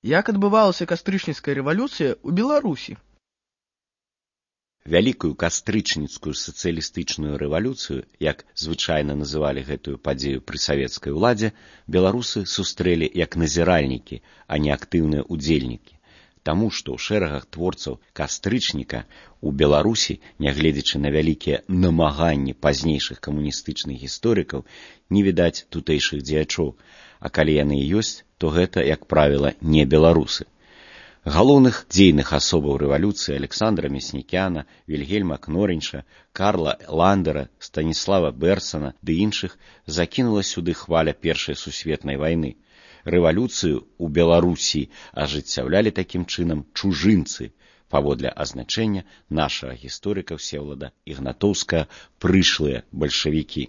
Як адбывалася кастрычніцкая рэвалюцыя ў Беларусі? Вялікую кастрычніцкую сацыялістычную рэвалюцыю, як звычайна называлі гэтую падзею пры савецкай уладзе, беларусы сустрэлі як назіральнікі, а не актыўныя ўдзельнікі. Таму што ў шэрагах творцаў кастрычніка у Беларусі, нягледзячы на вялікія намаганні пазнейшых камуністычных гісторыкаў, не відаць тутэйшых дзеячоў, а калі яны і ёсць, то гэта, як правіла, не беларусы. Галоўных дзейных асобаў рэвалюцыі Александра Мяснікяна, Вільгельма Кнорынча, Карла Ландера, Станіслава Берсана ды іншых закінула сюды хваля Першай сусветнай вайны. Рэвалюцыю ў Беларусі ажыццяўлялі такім чынам чужынцы, паводле азначэння нашага гісторыка Всеволода Ігнатоўскага прышлыя бальшавікі.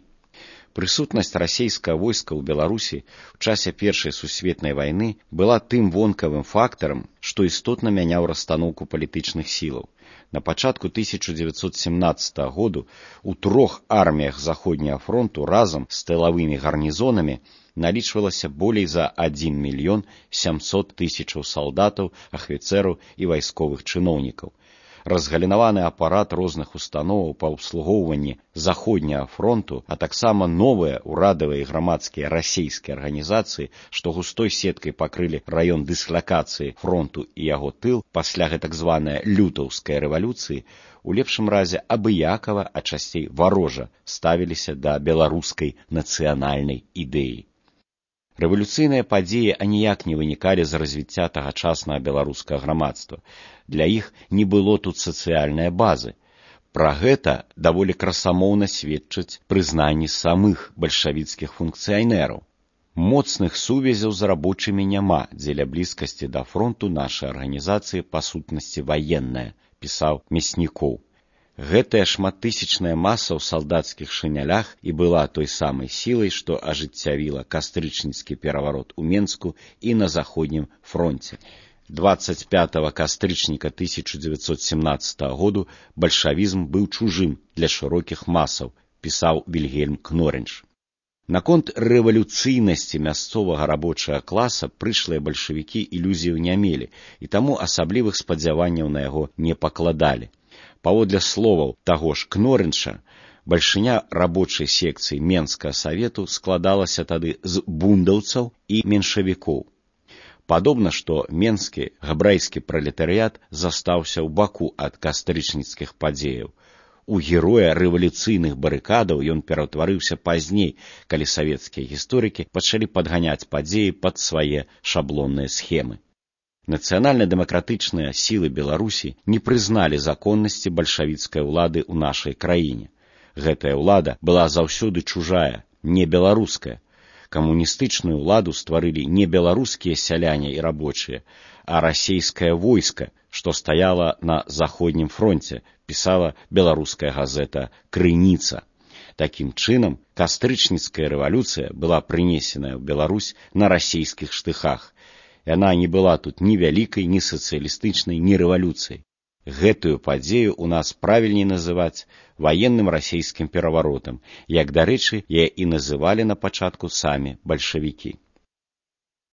Прысутнасць расійскага войска ў Беларусі ў часе Першай сусветнай вайны была тым вонкавым фактарам, што істотна мяняў расстаноўку палітычных сілаў. На пачатку 1917 году у 3 арміях Заходняга фронту разам з тылавымі гарнізонамі налічвалася болей за 1 мільён 700 тысячаў салдатаў, ахвіцэраў і вайсковых чыноўнікаў. Разгалінаваны апарат розных установаў па абслугоўванні Заходняга фронту, а таксама новыя ўрадавыя і грамадскія расійскія арганізацыі, што густой сеткай пакрылі раён дыслакацыі фронту і яго тыл пасля гэтак званай лютаўскай рэвалюцыі, у лепшым разе абыякава, а часцей варожа ставіліся да беларускай нацыянальнай ідэі. Рэвалюцыйныя падзеі аніяк не вынікалі з развіцця тагачаснага беларускага грамадства. Для іх не было тут сацыяльнай базы. Пра гэта даволі красамоўна сведчаць прызнанні самых бальшавіцкіх функцыянераў. Моцных сувязяў з рабочымі няма, дзеля блізкасці да фронту нашай арганізацыі па сутнасці ваенная, пісаў Мяснікоў. Гэтая шматтысячная маса ў салдацкіх шынялях і была той самай сілай, што ажыццявіла кастрычніцкі пераварот у Менску і на Заходнім фронце. 25 кастрычніка 1917 году бальшавізм быў чужым для шырокіх масаў, пісаў Вільгельм Кнорынч. Наконт рэвалюцыйнасці мясцовага рабочага класа прышлыя бальшавікі ілюзіяў не мелі, і таму асаблівых спадзяванняў на яго не пакладалі. Паводле словаў таго ж Кнорынча, бальшыня рабочай секцыі Менскага савету складалася тады з бундаўцаў і меншавікоў. Падобна, што менскі габрэйскі пралетарыят застаўся ў баку ад кастрычніцкіх падзеяў. У героя рэвалюцыйных барыкадаў ён пераўтварыўся пазней, калі савецкія гісторыкі пачалі падганяць падзеі пад свае шаблонныя схемы. Нацыянальна-дэмакратычныя сілы Беларусі не прызналі законнасці бальшавіцкай улады ў нашай краіне. Гэтая ўлада была заўсёды чужая, не беларуская. Камуністычную ўладу стварылі не беларускія сяляне і рабочыя, а расійскае войска, што стаяла на Заходнім фронце, пісала беларуская газета «Крыніца». Такім чынам, кастрычніцкая рэвалюцыя была прынесеная ў Беларусь на расійскіх штыхах. Яна не была тут ні вялікай, ні сацыялістычнай, ні рэвалюцыяй. Гэтую падзею у нас правільней называць ваенным расійскім пераваротам, як, дарэчы, яе і называлі на пачатку самі бальшавікі.